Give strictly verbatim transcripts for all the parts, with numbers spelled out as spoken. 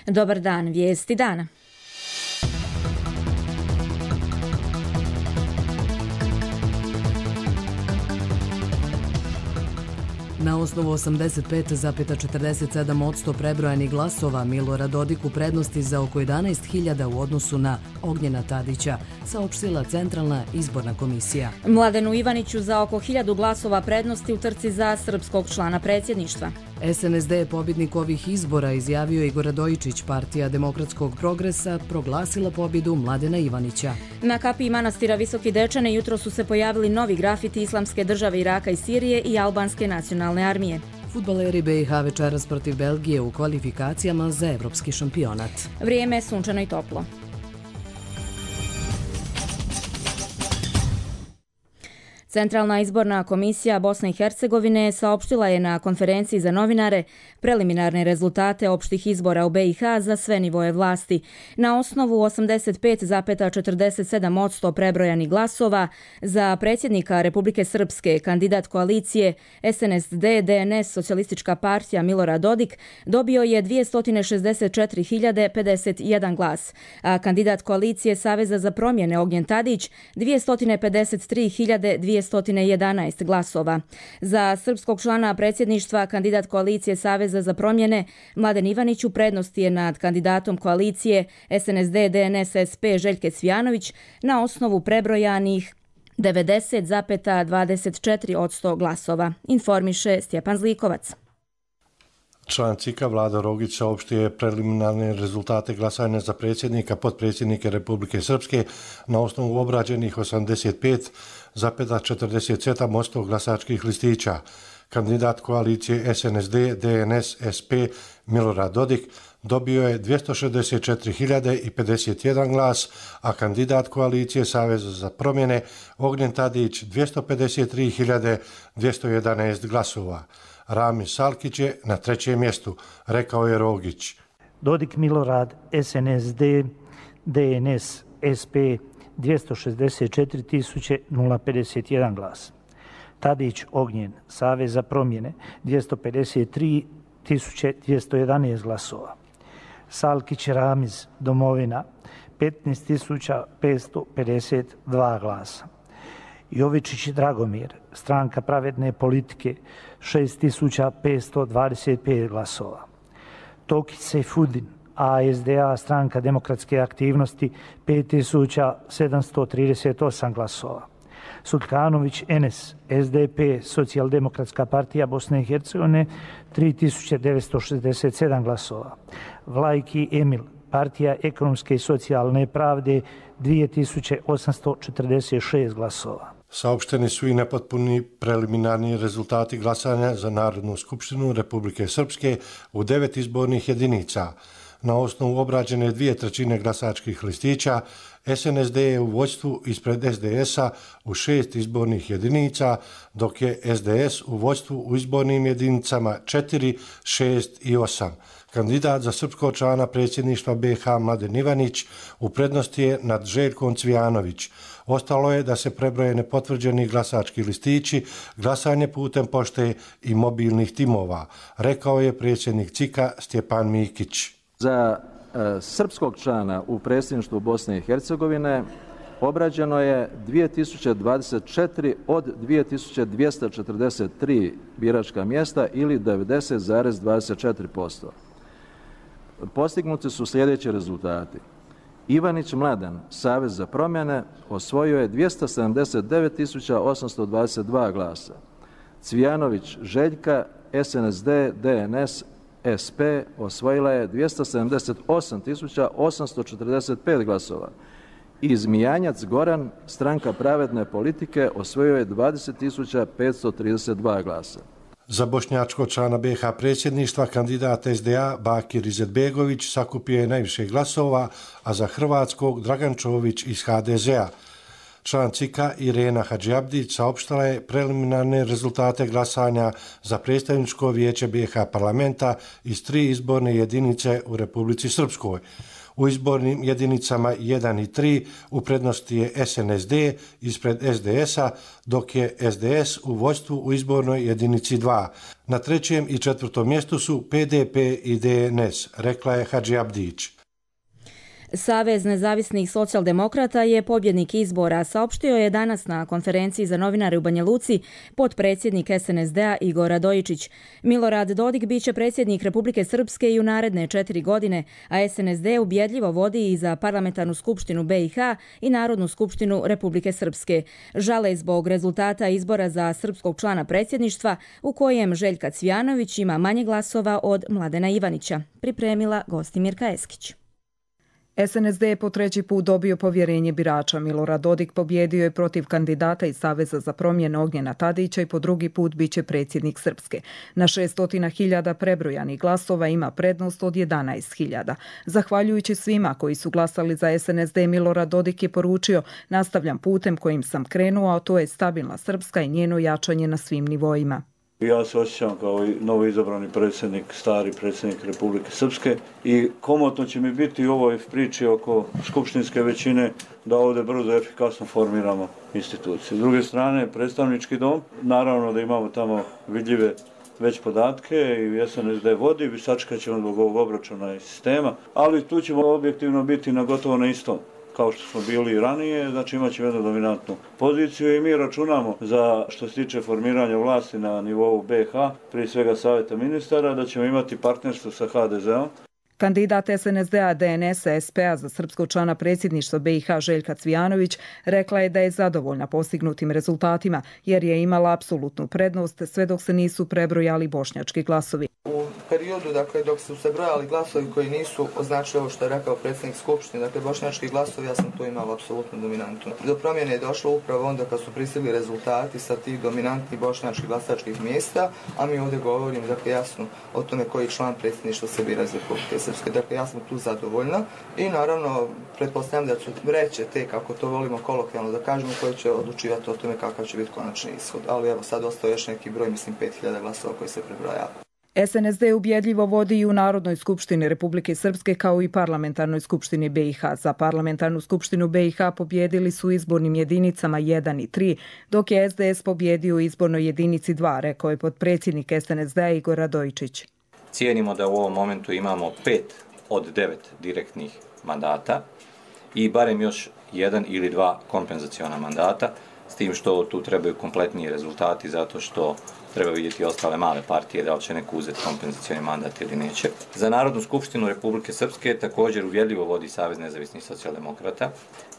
Dobar dan, vijesti dana. Na osnovu osamdeset pet zarez četrdeset sedam posto prebrojanih glasova Milorad Dodik u prednosti za oko jedanaest hiljada u odnosu na Ognjena Tadića, saopštila Centralna izborna komisija. Mladenu Ivaniću za oko hiljadu glasova prednosti u trci za srpskog člana predsjedništva. S N S D je pobjednik ovih izbora, izjavio Igor Radojičić. Partija Demokratskog progresa proglasila pobjedu Mladena Ivanića. Na kapiji manastira Visoki Dečane jutro su se pojavili novi grafiti Islamske države Iraka i Sirije i Albanske nacionalne armije. Fudbaleri B i H večeras protiv Belgije u kvalifikacijama za evropski šampionat. Vrijeme je sunčano i toplo. Centralna izborna komisija Bosne i Hercegovine saopštila je na konferenciji za novinare preliminarne rezultate opštih izbora u B i H za sve nivoje vlasti. Na osnovu osamdeset pet zarez četrdeset sedam posto prebrojanih glasova za predsjednika Republike Srpske kandidat koalicije S N S D D N S Socijalistička partija Milorad Dodik dobio je dvjesto šezdeset četiri hiljade pedeset jedan glas, a kandidat koalicije Saveza za promjene Ognjen Tadić dvjesto pedeset tri hiljade dvjesto jedanaest glasova. Za srpskog člana predsjedništva kandidat koalicije Saveza za promjene Mladen Ivanić u prednosti je nad kandidatom koalicije S N S D D N S S P Željke Cvijanović na osnovu prebrojanih devedeset zarez dvadeset četiri posto glasova, informiše Stjepan Zlikovac. Član C I K-a Vlado Rogić saopštio je preliminarne rezultate glasanja za predsjednika, potpredsjednike Republike Srpske na osnovu obrađenih osamdeset pet zarez četrdeset sedam posto glasačkih listića. Kandidat koalicije S N S D D N S S P Milorad Dodik dobio je dvjesto šezdeset četiri hiljade pedeset jedan glas, a kandidat koalicije Saveza za promjene Ognjen Tadić dvjesto pedeset tri hiljade dvjesto jedanaest glasova. Rami Salkić je na trećem mjestu, rekao je Rogić. Dodik Milorad S N S D D N S S P dvjesto šezdeset četiri tisuće pedeset jedan glas. Tadić Ognjen Savez za promjene dvjesto pedeset tri tisuće dvjesto jedanaest glasova. Salkić Ramiz Domovina petnaest tisuća petsto pedeset dva glasa. Jovičić Dragomir, Stranka pravedne politike, šest tisuća petsto dvadeset pet glasova. Tokić Sejfudin, A S D A, Stranka demokratske aktivnosti, pet tisuća sedamsto trideset osam glasova. Sulkanović Enes, S D P, Socijaldemokratska partija Bosne i Hercegovine, tri tisuće devetsto šezdeset sedam glasova. Vlajki Emil, Partija ekonomske i socijalne pravde, dvije tisuće osamsto četrdeset šest glasova. Saopšteni su i nepotpuni preliminarni rezultati glasanja za Narodnu skupštinu Republike Srpske u devet izbornih jedinica. Na osnovu obrađene dvije trećine glasačkih listića, S N S D je u vođstvu ispred S D S-a u šest izbornih jedinica, dok je S D S u vođstvu u izbornim jedinicama četiri, šest i osam. Kandidat za srpskog člana predsjedništva B i H Mladen Ivanić u prednosti je nad Željkom Cvijanović. Ostalo je da se prebroje nepotvrđeni glasački listići, glasanje putem pošte i mobilnih timova, rekao je predsjednik C I K-a Stjepan Mikić. Za e, srpskog člana u predsjedništvu Bosne i Hercegovine obrađeno je dvije tisuće dvadeset četiri od dvije tisuće dvjesto četrdeset tri biračka mjesta ili devedeset zarez dvadeset četiri posto. Postignuti su sljedeći rezultati. Ivanić Mladen, Savez za promjene, osvojio je dvjesto sedamdeset devet tisuća osamsto dvadeset dva glasa. Cvijanović Željka, S N S D D N S S P osvojila je dvjesto sedamdeset osam tisuća osamsto četrdeset pet glasova. I Zmijanjac Goran, Stranka pravedne politike, osvojio je dvadeset tisuća petsto trideset dva glasa. Za bošnjačkog člana B i H predsjedništva kandidat S D A Bakir Izetbegović sakupio je najviše glasova, a za hrvatskog Dragan Čović iz H D Z-a. Član C I K-a Irena Hadžiabdić saopštila je preliminarne rezultate glasanja za predstavničko vijeće B i H parlamenta iz tri izborne jedinice u Republici Srpskoj. U izbornim jedinicama jedan i tri u prednosti je S N S D ispred S D S-a, dok je S D S u vođstvu u izbornoj jedinici dva. Na trećem i četvrtom mjestu su P D P i D N S, rekla je Hadži Abdić. Savez nezavisnih socijaldemokrata je pobjednik izbora, saopštio je danas na konferenciji za novinare u Banja Luci potpredsjednik S N S D-a Igor Radojičić. Milorad Dodik biće predsjednik Republike Srpske i u naredne četiri godine, a S N S D ubjedljivo vodi i za Parlamentarnu skupštinu B i H i Narodnu skupštinu Republike Srpske. Žale zbog rezultata izbora za srpskog člana predsjedništva u kojem Željka Cvijanović ima manje glasova od Mladena Ivanića, pripremila Gostimirka Eskić. S N S D je po treći put dobio povjerenje birača. Milorad Dodik pobjedio je protiv kandidata iz Saveza za promjene Ognjena Tadića i po drugi put biće predsjednik Srpske. Na šesstotina hiljada prebrojanih glasova ima prednost od jedanaest hiljada. Zahvaljujući svima koji su glasali za S N S D, Milorad Dodik je poručio: nastavljam putem kojim sam krenuo, a to je stabilna Srpska i njeno jačanje na svim nivoima. Ja se osjećam kao i novo izabrani predsjednik, stari predsjednik Republike Srpske i komotno će mi biti u ovoj priči oko skupštinske većine da ovdje brzo i efikasno formiramo institucije. S druge strane, predstavnički dom, naravno da imamo tamo vidljive već podatke i S N S D vodi, sačekat ćemo zbog ovog obračuna i sistema, ali tu ćemo objektivno biti na gotovo na istom kao što smo bili i ranije, znači imat ćemo jednu dominantnu poziciju i mi računamo za što se tiče formiranja vlasti na nivou B i H, prije svega savjeta ministara, da ćemo imati partnerstvo sa H D Z-om. Kandidat S N S D-a, D N S-a, S P-a za srpskog člana predsjedništva B i H Željka Cvijanović rekla je da je zadovoljna postignutim rezultatima jer je imala apsolutnu prednost sve dok se nisu prebrojali bošnjački glasovi. U periodu dakle, dok su se brojali glasovi koji nisu označili ovo što je rekao predsjednik Skupštine, dakle bošnjački glasovi, ja sam to imala apsolutno dominantno. Do promjene je došlo upravo onda kad su pristigli rezultati sa tih dominantnih bošnjačkih glasačkih mjesta, a mi ovdje govorimo dakle, jasno o tome koji član predsjedništva se bira iz Republike Srpske. Dakle, ja sam tu zadovoljna i naravno pretpostavljam da su vreće te, kako to volimo kolokvijalno da kažemo, koje će odlučivati o tome kakav će biti konačni ishod. Ali evo sad ostao još neki broj, mislim pet hiljada glasova koji se prebrojava. S N S D ubjedljivo vodi i u Narodnoj skupštini Republike Srpske kao i Parlamentarnoj skupštini B i H. Za Parlamentarnu skupštinu B i H pobjedili su izbornim jedinicama jedan i tri, dok je S D S pobjedio u izbornoj jedinici dva, rekao je potpredsjednik S N S D-a Igor Radojičić. Cijenimo da u ovom momentu imamo pet od devet direktnih mandata i barem još jedan ili dva kompenzaciona mandata, s tim što tu trebaju kompletniji rezultati zato što treba vidjeti ostale male partije da li će neko uzeti kompenzacioni mandat ili neće. Za Narodnu skupštinu Republike Srpske također uvjerljivo vodi Savez nezavisnih socijaldemokrata.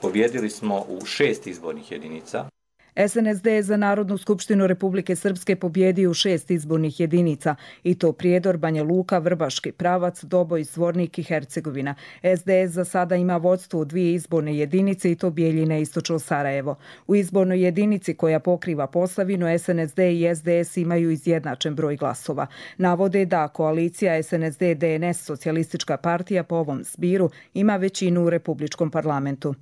Pobjedili smo u šest izbornih jedinica. S N S D je za Narodnu skupštinu Republike Srpske pobjedio u šest izbornih jedinica, i to Prijedor, Banja Luka, Vrbaški pravac, Doboj, Zvornik i Hercegovina. S D S za sada ima vodstvo u dvije izborne jedinice, i to Bijeljina i Istočno Sarajevo. U izbornoj jedinici koja pokriva Posavinu, S N S D i S D S imaju izjednačen broj glasova. Navode da koalicija S N S D D N S Socijalistička partija po ovom zbiru ima većinu u Republičkom parlamentu.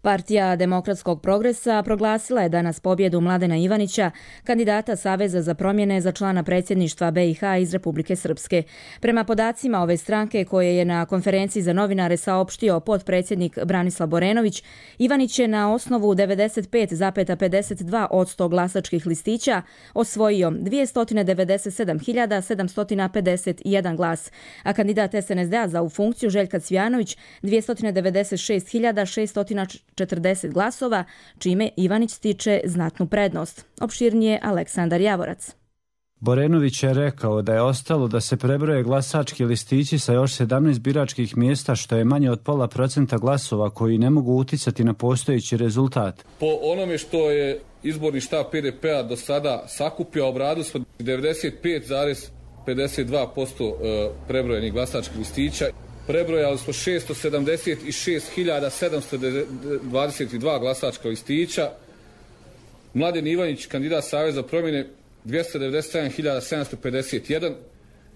Partija Demokratskog progresa proglasila je danas pobjedu Mladena Ivanića, kandidata Saveza za promjene za člana predsjedništva B i H iz Republike Srpske. Prema podacima ove stranke koje je na konferenciji za novinare saopštio potpredsjednik Branislav Borenović, Ivanić je na osnovu devedeset pet zarez pedeset dva posto glasačkih listića osvojio dvjesto devedeset sedam hiljada sedamsto pedeset jedan glas, a kandidat S N S D-a za ovu funkciju Željka Cvijanović dvjesto devedeset šest hiljada šesto četrdeset glasova, čime Ivanić stiče znatnu prednost. Opširnije Aleksandar Javorac. Borenović je rekao da je ostalo da se prebroje glasački listići sa još sedamnaest biračkih mjesta, što je manje od pola procenta glasova koji ne mogu uticati na postojeći rezultat. Po onome što je izborni štab P D P-a do sada sakupio, obradu smo devedeset pet zarez pedeset dva posto prebrojenih glasačkih listića. Prebrojali smo šesto sedamdeset šest hiljada sedamsto dvadeset dva glasačka listića. Mladen Ivanić, kandidat Saveza promjene, dvjesto devedeset sedam hiljada sedamsto pedeset jedan.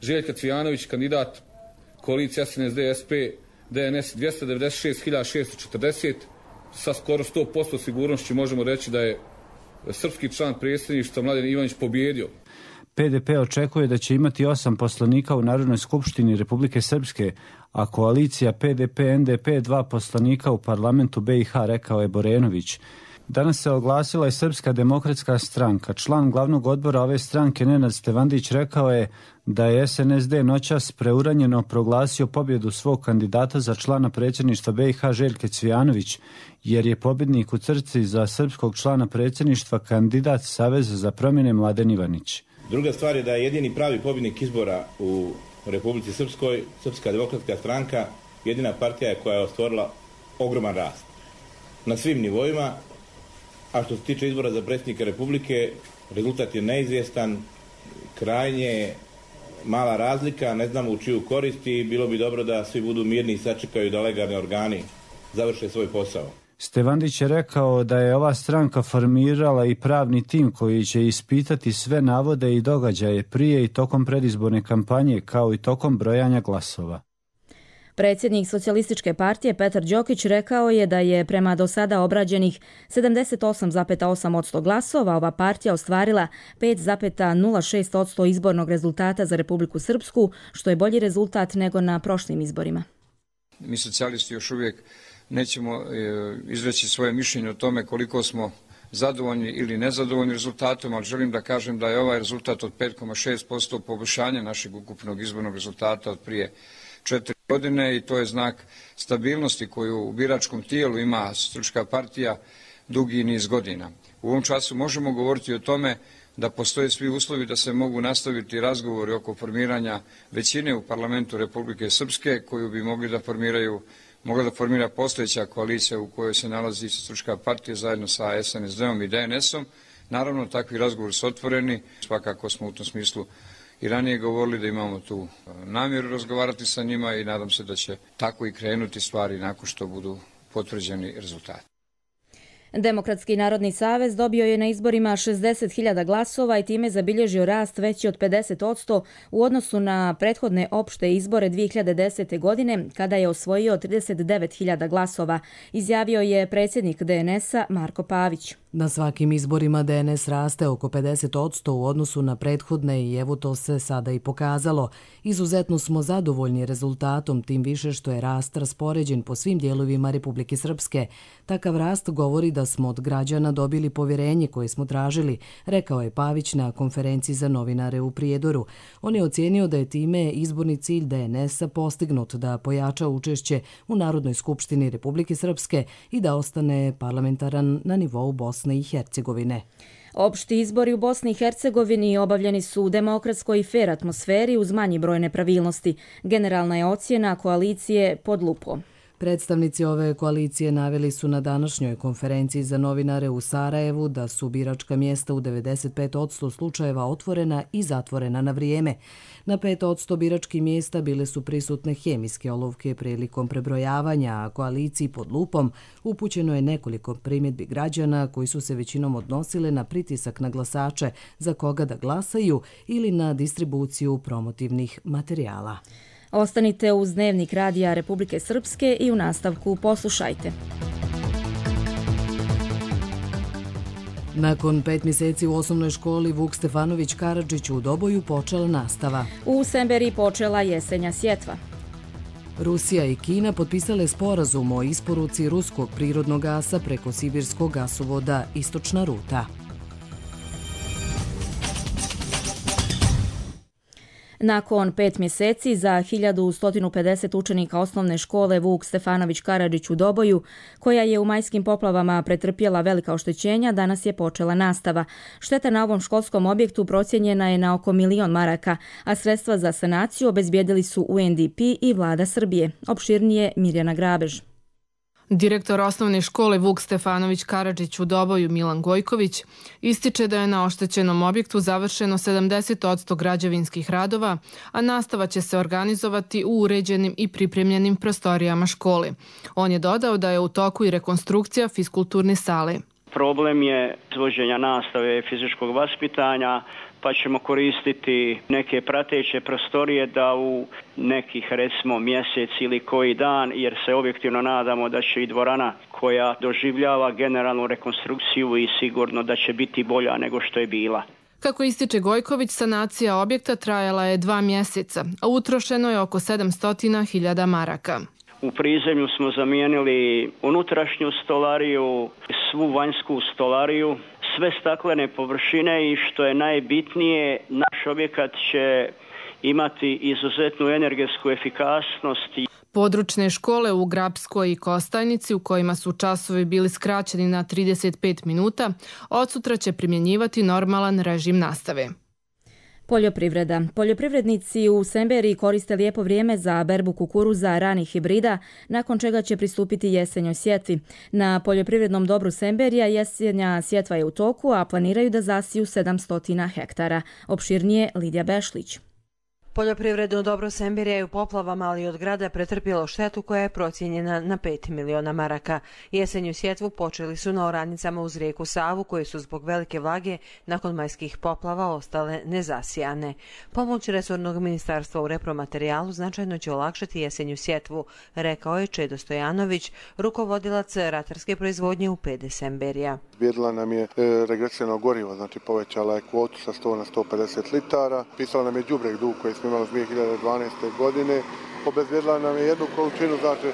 Željka Cvijanović, kandidat koalicije S N S D S P D N S, dvjesto devedeset šest hiljada šesto četrdeset. Sa skoro sto posto sigurnošću možemo reći da je srpski član predsjedništva Mladen Ivanić pobjedio. P D P očekuje da će imati osam poslanika u Narodnoj skupštini Republike Srpske, a koalicija P D P N D P dva poslanika u parlamentu B i H, rekao je Borenović. Danas se oglasila i Srpska demokratska stranka. Član glavnog odbora ove stranke Nenad Stevandić rekao je da je S N S D noćas preuranjeno proglasio pobjedu svog kandidata za člana predsjedništva B i H Željke Cvijanović, jer je pobjednik u trci za srpskog člana predsjedništva kandidat Saveza za promjene Mladen Ivanić. Druga stvar je da je jedini pravi pobjednik izbora u Republici Srpskoj Srpska demokratska stranka, jedina partija je koja je ostvarila ogroman rast na svim nivoima, a što se tiče izbora za predsjednika Republike, rezultat je neizvjestan, krajnje mala razlika, ne znamo u čiju korist i bilo bi dobro da svi budu mirni i sačekaju da legalni organi završe svoj posao. Stevandić je rekao da je ova stranka formirala i pravni tim koji će ispitati sve navode i događaje prije i tokom predizborne kampanje, kao i tokom brojanja glasova. Predsjednik Socijalističke partije Petar Đokić rekao je da je prema do sada obrađenih sedamdeset osam zarez osam posto glasova ova partija ostvarila pet zarez nula šest posto izbornog rezultata za Republiku Srpsku, što je bolji rezultat nego na prošlim izborima. Mi socijalisti još uvijek nećemo izreći svoje mišljenje o tome koliko smo zadovoljni ili nezadovoljni rezultatom, ali želim da kažem da je ovaj rezultat od pet zarez šest posto poboljšanja našeg ukupnog izbornog rezultata od prije četiri godine i to je znak stabilnosti koju u biračkom tijelu ima Socijalistička partija dugi niz godina. U ovom času možemo govoriti o tome da postoje svi uslovi da se mogu nastaviti razgovori oko formiranja većine u parlamentu Republike Srpske koju bi mogli da formiraju mogla da formira postojeća koalicija u kojoj se nalazi Socijalistička partija zajedno sa S N S D-om i D N S-om. Naravno, takvi razgovori su otvoreni. Svakako smo u tom smislu i ranije govorili da imamo tu namjeru razgovarati sa njima i nadam se da će tako i krenuti stvari nakon što budu potvrđeni rezultati. Demokratski narodni savez dobio je na izborima šezdeset hiljada glasova i time zabilježio rast veći od pedeset posto u odnosu na prethodne opšte izbore dvije hiljade desete. godine, kada je osvojio trideset devet hiljada glasova, izjavio je predsjednik D N S-a Marko Pavić. Na svakim izborima D N S raste oko pedeset posto u odnosu na prethodne i evo to se sada i pokazalo. Izuzetno smo zadovoljni rezultatom, tim više što je rast raspoređen po svim dijelovima Republike Srpske. Takav rast govori da smo od građana dobili povjerenje koje smo tražili, rekao je Pavić na konferenciji za novinare u Prijedoru. On je ocijenio da je time izborni cilj D N S-a postignut, da pojača učešće u Narodnoj skupštini Republike Srpske i da ostane parlamentaran na nivou Bosne i Hercegovine. Opšti izbori u Bosni i Hercegovini obavljeni su u demokratskoj i fer atmosferi uz manji broj nepravilnosti. Generalna je ocjena koalicije pod lupom. Predstavnici ove koalicije naveli su na današnjoj konferenciji za novinare u Sarajevu da su biračka mjesta u devedeset pet posto slučajeva otvorena i zatvorena na vrijeme. Na pet posto biračkih mjesta bile su prisutne hemijske olovke prilikom prebrojavanja, a koaliciji pod lupom upućeno je nekoliko primjedbi građana koji su se većinom odnosile na pritisak na glasače za koga da glasaju ili na distribuciju promotivnih materijala. Ostanite uz Dnevnik radija Republike Srpske i u nastavku poslušajte. Nakon pet mjeseci u osnovnoj školi Vuk Stefanović Karadžić u Doboju počela nastava. U Semberi počela jesenja sjetva. Rusija i Kina potpisale sporazum o isporuci ruskog prirodnog gasa preko sibirskog gasovoda Istočna ruta. Nakon pet mjeseci za hiljadu sto pedeset učenika osnovne škole Vuk Stefanović Karadžić u Doboju, koja je u majskim poplavama pretrpjela velika oštećenja, danas je počela nastava. Šteta na ovom školskom objektu procijenjena je na oko milion maraka, a sredstva za sanaciju obezbijedili su U N D P i vlada Srbije. Opširnije Mirjana Grabež. Direktor osnovne škole Vuk Stefanović Karadžić u Doboju Milan Gojković ističe da je na oštećenom objektu završeno sedamdeset posto građevinskih radova, a nastava će se organizovati u uređenim i pripremljenim prostorijama škole. On je dodao da je u toku i rekonstrukcija fiskulturne sale. Problem je izvođenja nastave fizičkog vaspitanja, pa ćemo koristiti neke prateće prostorije da u nekih recimo mjesec ili koji dan, jer se objektivno nadamo da će i dvorana koja doživljava generalnu rekonstrukciju i sigurno da će biti bolja nego što je bila. Kako ističe Gojković, sanacija objekta trajala je dva mjeseca, a utrošeno je oko sedamsto hiljada maraka. U prizemlju smo zamijenili unutrašnju stolariju, svu vanjsku stolariju, sve staklene površine i što je najbitnije, naš objekat će imati izuzetnu energetsku efikasnost. Područne škole u Grapskoj i Kostajnici, u kojima su časovi bili skraćeni na trideset pet minuta, od sutra će primjenjivati normalan režim nastave. Poljoprivreda. Poljoprivrednici u Semberiji koriste lijepo vrijeme za berbu kukuruza ranih hibrida, nakon čega će pristupiti jesenjoj sjetvi. Na poljoprivrednom dobru Semberija jesenja sjetva je u toku, a planiraju da zasiju sedamsto hektara. Opširnije Lidija Bešlić. Poljoprivredno dobro Semberija je u poplavama, ali od grada pretrpjelo štetu koja je procijenjena na pet miliona maraka. Jesenju sjetvu počeli su na oranicama uz rijeku Savu, koje su zbog velike vlage nakon majskih poplava ostale nezasijane. Pomoć resornog ministarstva u repromaterijalu značajno će olakšati jesenju sjetvu, rekao je Čedo Stojanović, rukovodilac ratarske proizvodnje u P D Semberija. Bijedila nam je regresivno gorivo, znači povećala je kvotu sa sto na sto pedeset litara, pisala nam je đubreg dug koji smo imali dvije hiljade dvanaeste. godine, obezbijedila nam je jednu količinu, znači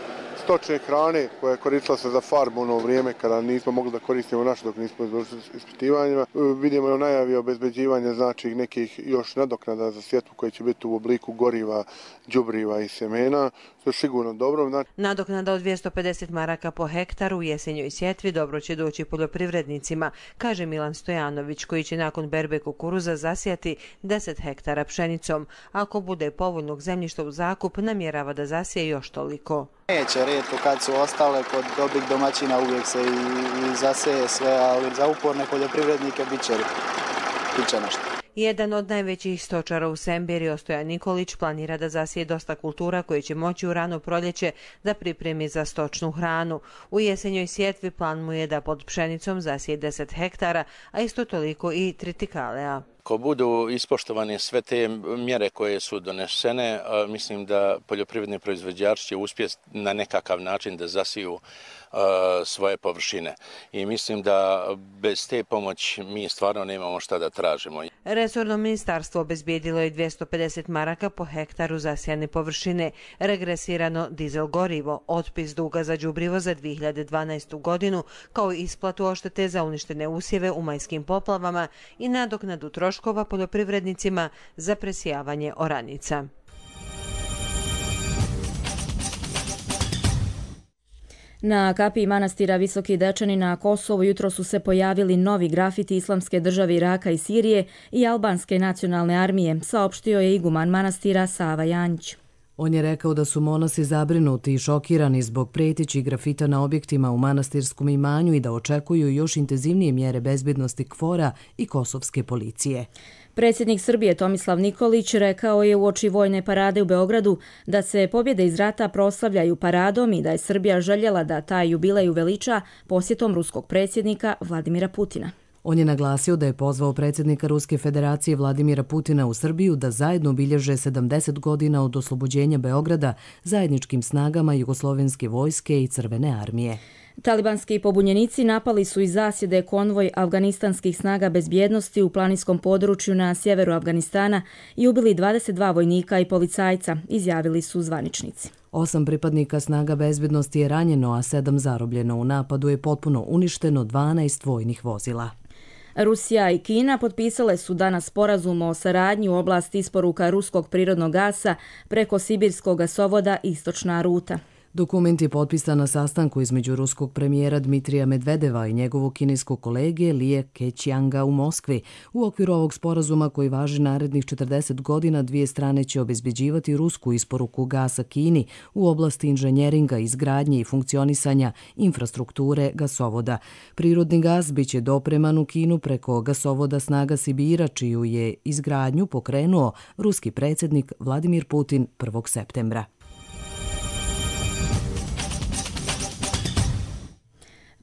stočne hrane koja je koristila se za farbu ono vrijeme kada nismo mogli da koristimo naše dok nismo izvršili ispitivanjima. Vidimo je najavi obezbeđivanja znači nekih još nadoknada za sjetvu koji će biti u obliku goriva, đubriva i semena, što je sigurno dobro. Znači... Nadoknada od dvjesto pedeset maraka po hektaru u jesenjoj sjetvi dobro će doći poljoprivrednicima, kaže Milan Stojanović, koji će nakon berbe kukuruza zasijati deset hektara pšenicom. Ako bude povoljnog zemljišta u zakup, namjerava da zasije još toliko. Neće, rijetko kad su ostale kod dobrih domaćina uvijek se i, i zaseje sve, ali za uporne poljoprivrednike bit će, bit će nešto. Jedan od najvećih stočara u Semberiji, Stojan Nikolić, planira da zasije dosta kultura koje će moći u rano proljeće da pripremi za stočnu hranu. U jesenjoj sjetvi plan mu je da pod pšenicom zasije deset hektara, a isto toliko i tritikaleja. Ako budu ispoštovane sve te mjere koje su donesene, mislim da poljoprivredni proizvođači će uspjeti na nekakav način da zasiju svoje površine. I mislim da bez te pomoći mi stvarno nemamo šta da tražimo. Resorno ministarstvo obezbijedilo je dvjesto pedeset maraka po hektaru zasijane površine, regresirano dizel gorivo, otpis duga za đubrivo za dvije hiljade dvanaestu. godinu, kao i isplatu oštete za uništene usjeve u majskim poplavama i nadoknadu troškova poljoprivrednicima za presijavanje oranica. Na kapiji manastira Visoki Dečani na Kosovu jutro su se pojavili novi grafiti Islamske države Iraka i Sirije i Albanske nacionalne armije, saopštio je iguman manastira Sava Janjić. On je rekao da su monasi zabrinuti i šokirani zbog prijetećih grafita na objektima u manastirskom imanju i da očekuju još intenzivnije mjere bezbednosti KFOR-a i kosovske policije. Predsjednik Srbije Tomislav Nikolić rekao je uoči vojne parade u Beogradu da se pobjede iz rata proslavljaju paradom i da je Srbija željela da taj jubilej uveliča posjetom ruskog predsjednika Vladimira Putina. On je naglasio da je pozvao predsjednika Ruske federacije Vladimira Putina u Srbiju da zajedno obilježe sedamdeset godina od oslobođenja Beograda zajedničkim snagama Jugoslovenske vojske i Crvene armije. Talibanski pobunjenici napali su iz zasjede konvoj afganistanskih snaga bezbjednosti u planinskom području na sjeveru Afganistana i ubili dvadeset dva vojnika i policajca, izjavili su zvaničnici. Osam pripadnika snaga bezbjednosti je ranjeno, a sedam zarobljeno. U napadu je potpuno uništeno dvanaest vojnih vozila. Rusija i Kina potpisale su danas sporazum o saradnji u oblasti isporuka ruskog prirodnog gasa preko sibirskog gasovoda Istočna ruta. Dokument je potpisan na sastanku između ruskog premijera Dmitrija Medvedeva i njegovog kineskog kolege Lije Keqianga u Moskvi. U okviru ovog sporazuma koji važi narednih četrdeset godina, dvije strane će obezbeđivati rusku isporuku gasa Kini u oblasti inženjeringa, izgradnje i funkcionisanja infrastrukture gasovoda. Prirodni gas biće dopreman u Kinu preko gasovoda Snaga Sibira, čiju je izgradnju pokrenuo ruski predsjednik Vladimir Putin prvog septembra.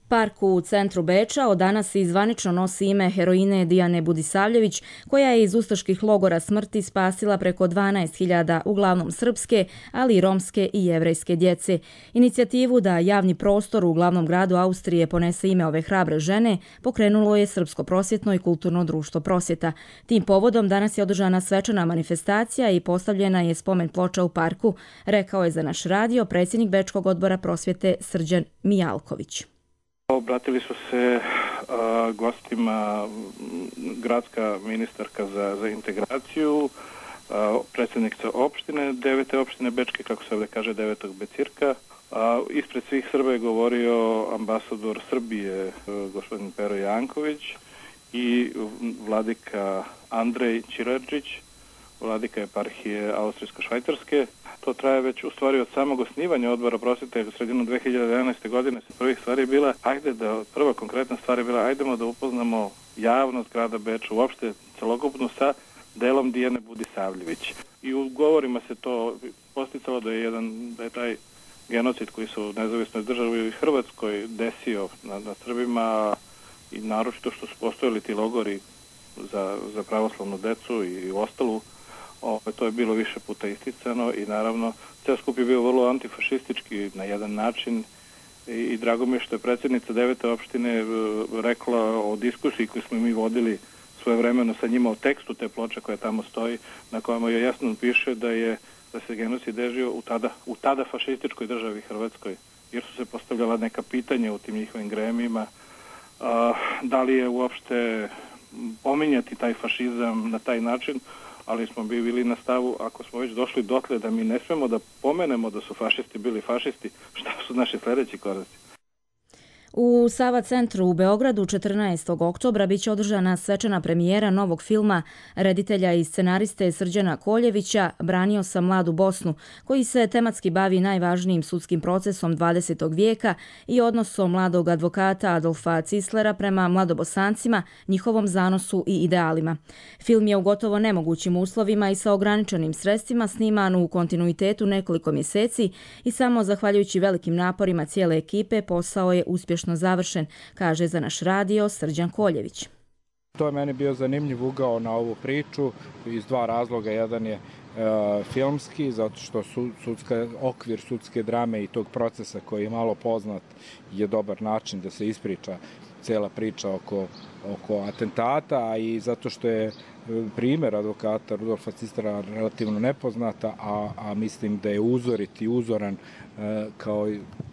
Park u centru Beča od danas i zvanično nosi ime heroine Dijane Budisavljević, koja je iz ustaških logora smrti spasila preko dvanaest hiljada uglavnom srpske, ali i romske i jevrejske djece. Inicijativu da javni prostor u glavnom gradu Austrije ponese ime ove hrabre žene pokrenulo je Srpsko prosvjetno i kulturno društvo Prosvjeta. Tim povodom danas je održana svečana manifestacija i postavljena je spomen ploča u parku, rekao je za naš radio predsjednik Bečkog odbora prosvjete Srđan Mijalković. Obratili su se a, gostima gradska ministarka za, za integraciju, a, predsjednica opštine, devete opštine Bečke, kako se ovdje kaže, devetog Becirka. A, ispred svih Srba je govorio ambasador Srbije, gospodin Pero Janković, i vladika Andrej Ćiradžić, vladika eparhije Austrijsko-Švajcarske. To traje već u stvari od samog osnivanja odbora prosvjete u sredinu dve hiljade jedanaeste. godine. Prvih stvari je bila, ajde da, prva konkretna stvar je bila, ajdemo da upoznamo javnost grada Beča, uopšte celokupnu sa delom Dijane Budisavljević. I u govorima se to posticalo da je jedan, da je taj genocid koji se u nezavisnoj državi u Hrvatskoj desio nad, nad Srbima, i naročito što su postojali ti logori za, za pravoslavnu decu i ostalu. O, to je bilo više puta isticano i naravno ceo skup je bio vrlo antifašistički na jedan način i, i drago mi je što je predsjednica devete opštine rekla o diskusiji koju smo mi vodili svojevremeno sa njima o tekstu te ploče koja tamo stoji, na kojima je jasno piše da je da se genocid desio u tada, u tada fašističkoj državi Hrvatskoj, jer su se postavljala neka pitanja u tim njihovim gremijima, a, da li je uopšte pominjati taj fašizam na taj način, ali smo bili na stavu, ako smo već došli dotle da mi ne smemo da pomenemo da su fašisti bili fašisti, šta su naši sljedeći koraci? U Sava centru u Beogradu četrnaestog oktobra biće održana svečana premijera novog filma reditelja i scenariste Srđana Koljevića Branio sam mladu Bosnu, koji se tematski bavi najvažnijim sudskim procesom dvadesetog vijeka i odnosom mladog advokata Adolfa Cislera prema mladobosancima, njihovom zanosu i idealima. Film je u gotovo nemogućim uslovima i sa ograničenim sredstvima sniman u kontinuitetu nekoliko mjeseci i samo zahvaljujući velikim naporima cijele ekipe posao je uspješno završen, kaže za naš radio Srđan Koljević. To je meni bio zanimljiv ugao na ovu priču iz dva razloga. Jedan je e, filmski, zato što su, sudska, okvir sudske drame i tog procesa koji je malo poznat je dobar način da se ispriča cela priča oko, oko atentata, i zato što je primjer advokata Rudolfa Cislera relativno nepoznata, a, a mislim da je uzorit i uzoran e, kao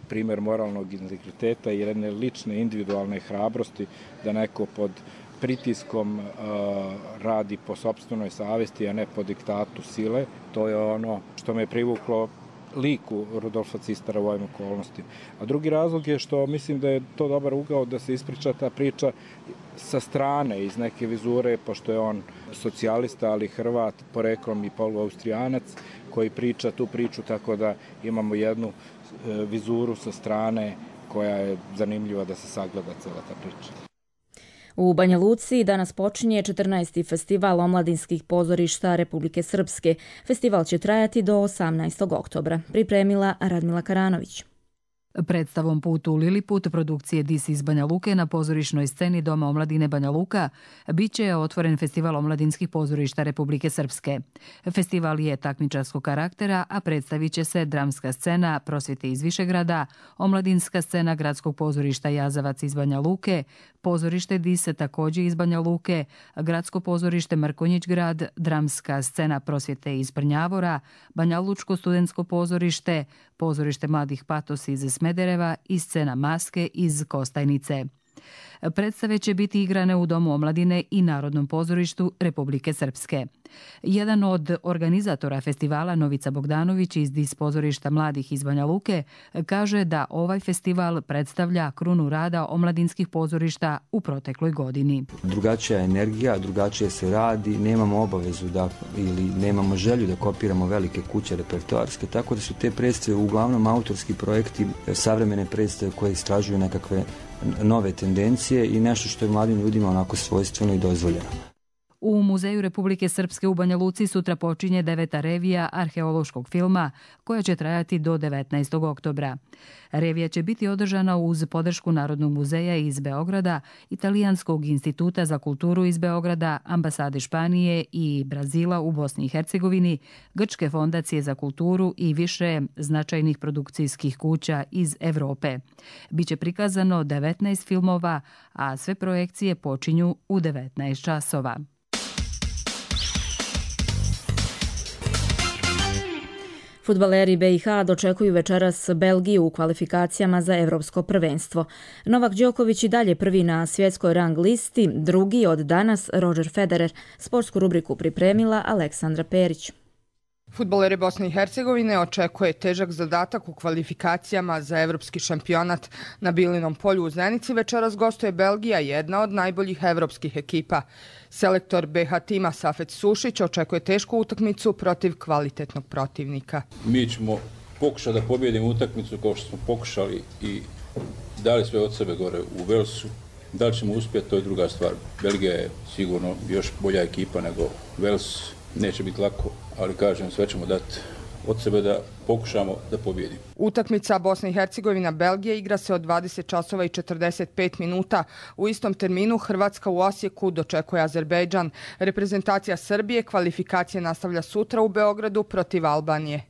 primjer moralnog integriteta i jedne lične individualne hrabrosti da neko pod pritiskom uh, radi po sopstvenoj savjesti, a ne po diktatu sile. To je ono što me privuklo liku Rudolfa Cislera u ovim okolnostima. A drugi razlog je što mislim da je to dobar ugao da se ispriča ta priča sa strane, iz neke vizure, pošto je on socijalista, ali Hrvat, poreklom i poluaustrijanac, koji priča tu priču, tako da imamo jednu e, vizuru sa strane koja je zanimljiva da se sagleda cela ta priča. U Banja Luci danas počinje četrnaesti festival omladinskih pozorišta Republike Srpske. Festival će trajati do osamnaestog oktobra. Pripremila Radmila Karanović. Predstavom Put u Liliput produkcije Dis iz Banja Luke na pozorišnoj sceni Doma omladine Banja Luka biće otvoren festival omladinskih pozorišta Republike Srpske. Festival je takmičarskog karaktera, a predstavit će se dramska scena Prosvjete iz Višegrada, omladinska scena Gradskog pozorišta Jazavac iz Banja Luke, pozorište Dise također iz Banja Luke, Gradsko pozorište Mrkonjić grad, dramska scena Prosvjete iz Brnjavora, Banja Lučko studentsko pozorište, pozorište Mladih Patos iz Smedereva i scena Maske iz Kostajnice. Predstave će biti igrane u Domu omladine i Narodnom pozorištu Republike Srpske. Jedan od organizatora festivala, Novica Bogdanović iz Dis pozorišta mladih iz Banja Luke, kaže da ovaj festival predstavlja krunu rada omladinskih pozorišta u protekloj godini. Drugačija energija, drugačije se radi, nemamo obavezu da, ili nemamo želju da kopiramo velike kuće repertoarske, tako da su te predstave uglavnom autorski projekti, savremene predstave koje istražuju nekakve nove tendencije i nešto što je mladim ljudima onako svojstveno i dozvoljeno. U Muzeju Republike Srpske u Banja Luci sutra počinje deveta revija arheološkog filma koja će trajati do devetnaestog oktobra. Revija će biti održana uz podršku Narodnog muzeja iz Beograda, Italijanskog instituta za kulturu iz Beograda, ambasade Španije i Brazila u Bosni i Hercegovini, Grčke fondacije za kulturu i više značajnih produkcijskih kuća iz Evrope. Biće prikazano devetnaest filmova, a sve projekcije počinju u devetnaest časova. Fudbaleri be i ha dočekuju večeras Belgiju u kvalifikacijama za evropsko prvenstvo. Novak Đoković i dalje prvi na svjetskoj rang listi, drugi od danas Roger Federer. Sportsku rubriku pripremila Aleksandra Perić. Fudbaleri Bosne i Hercegovine očekuje težak zadatak u kvalifikacijama za evropski šampionat. Na Bilinom polju u Zenici večeras gostuje Belgija, jedna od najboljih evropskih ekipa. Selektor be ha tima Safet Sušić očekuje tešku utakmicu protiv kvalitetnog protivnika. Mi ćemo pokušati da pobijedimo utakmicu kao što smo pokušali i dali sve od sebe gore u Velsu. Da li ćemo uspjeti, to je druga stvar. Belgija je sigurno još bolja ekipa nego Vels. Neće biti lako, ali kažem, sve ćemo dati od sebe da pokušamo da pobijedimo. Utakmica Bosna i Hercegovina Belgija igra se od dvadeset časova i četrdeset pet minuta. U istom terminu Hrvatska u Osijeku dočekuje Azerbejdžan. Reprezentacija Srbije kvalifikacije nastavlja sutra u Beogradu protiv Albanije.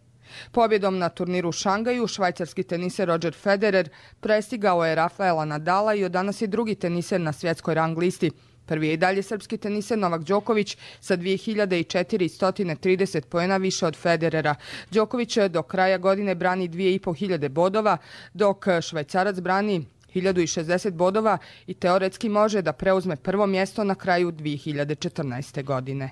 Pobjedom na turniru u Šangaju švajcarski teniser Roger Federer prestigao je Rafaela Nadala i od danas je drugi teniser na svjetskoj rang listi. Prvi je i dalje srpski teniser Novak Đoković sa dve hiljade četiristo trideset poena više od Federera. Đoković do kraja godine brani dve hiljade petsto bodova, dok Švajcarac brani hiljadu šezdeset bodova i teoretski može da preuzme prvo mjesto na kraju dve hiljade četrnaeste. godine.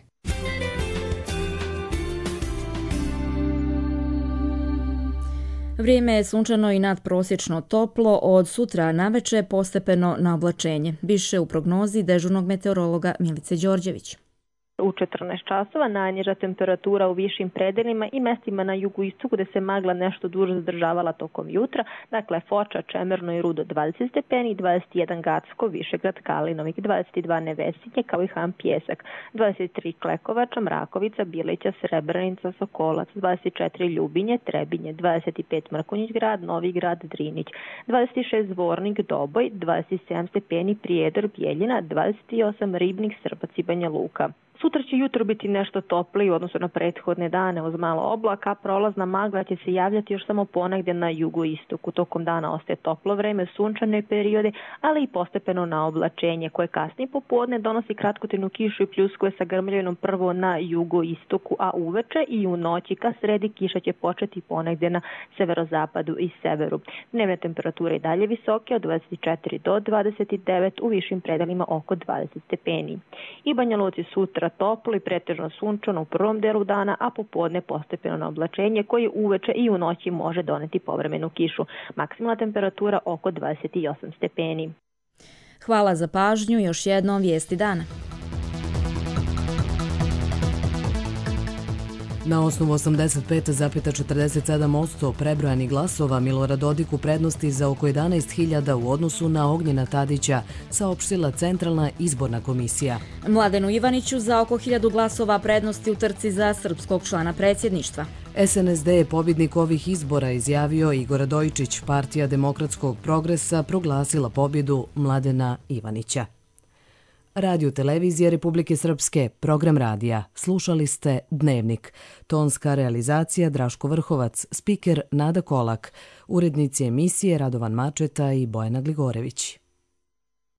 Vrijeme je sunčano i nadprosječno toplo, od sutra naveče postepeno na oblačenje. Više u prognozi dežurnog meteorologa Milice Đorđević. U četrnaest časova najniža temperatura u višim predelima i mestima na jugoistoku gde se magla nešto duže zadržavala tokom jutra, dakle Foča, Čemerno i Rudo dvadeset stepeni, dvadeset jedan Gacko, Višegrad, Kalinovik, dvadeset dva Nevesinje, kao i Han Pjesak, dvadeset tri Klekovača, Mrakovica, Bilića, Srebrenica, Sokolac, dvadeset četiri Ljubinje, Trebinje, dvadeset pet Mrkonjić grad, Novi grad, Drinić, dvadeset šest Zvornik, Doboj, dvadeset sedam stepeni Prijedor, Bijeljina, dvadeset osam Ribnik, Srbac i Banja Luka. Sutra će jutro biti nešto topliji u odnosu na prethodne dane uz malo oblaka, prolazna magla će se javljati još samo ponegdje na jugoistoku. Tokom dana ostaje toplo vreme, sunčane periode, ali i postepeno na oblačenje koje kasnije popodne donosi kratkotrajnu kišu i pljuskuje sa grmljavinom prvo na jugoistoku, a uveče i u noći ka sredi kiša će početi ponegdje na severozapadu i severu. Dnevne temperature i dalje visoke od dvadeset četiri do dvadeset devet, u višim predelima oko dvadeset stepeni. I Banja Luci sutra toplo i pretežno sunčano u prvom delu dana, a popodne postepeno na oblačenje koje uveče i u noći može doneti povremenu kišu. Maksimalna temperatura oko dvadeset osam stepeni. Hvala za pažnju, još jednom vijesti dana. Na osnovu osamdeset pet zarez četrdeset sedam posto prebrojanih glasova Milorad Dodik u prednosti za oko jedanaest hiljada u odnosu na Ognjena Tadića, saopštila Centralna izborna komisija. Mladenu Ivaniću za oko hiljadu glasova prednosti u trci za srpskog člana predsjedništva. es en es de je pobjednik ovih izbora, izjavio Igor Radojičić. Partija demokratskog progresa proglasila pobjedu Mladena Ivanića. Radio televizije Republike Srpske, program radija. Slušali ste Dnevnik. Tonska realizacija Draško Vrhovac, spiker Nada Kolak, urednici emisije Radovan Mačeta i Bojana Gligorević.